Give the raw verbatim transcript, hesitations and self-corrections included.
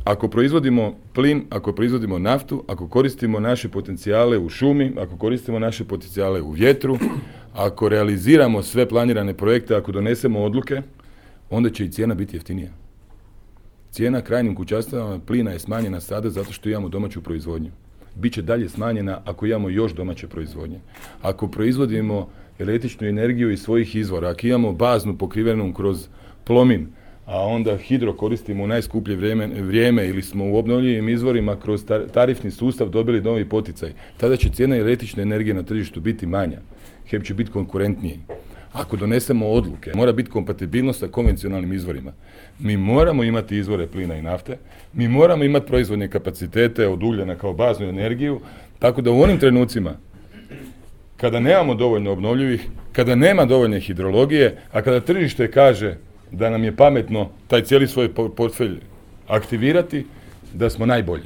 ako proizvodimo plin, ako proizvodimo naftu, ako koristimo naše potencijale u šumi, ako koristimo naše potencijale u vjetru, ako realiziramo sve planirane projekte, ako donesemo odluke, onda će i cijena biti jeftinija. Cijena krajnjim kućanstvima plina je smanjena sada zato što imamo domaću proizvodnju. Biće dalje smanjena ako imamo još domaće proizvodnje. Ako proizvodimo električnu energiju iz svojih izvora, ako imamo baznu pokrivenu kroz plomin, a onda hidro koristimo u najskuplje vrijeme, vrijeme ili smo u obnovljivim izvorima kroz tarifni sustav dobili novi poticaj, tada će cijena električne energije na tržištu biti manja. HEP će biti konkurentniji. Ako donesemo odluke, mora biti kompatibilnost sa konvencionalnim izvorima. Mi moramo imati izvore plina i nafte, mi moramo imati proizvodne kapacitete od ugljena kao baznu energiju, tako da u onim trenucima kada nemamo dovoljno obnovljivih, kada nema dovoljne hidrologije, a kada tržište kaže da nam je pametno taj cijeli svoj portfelj aktivirati, da smo najbolji.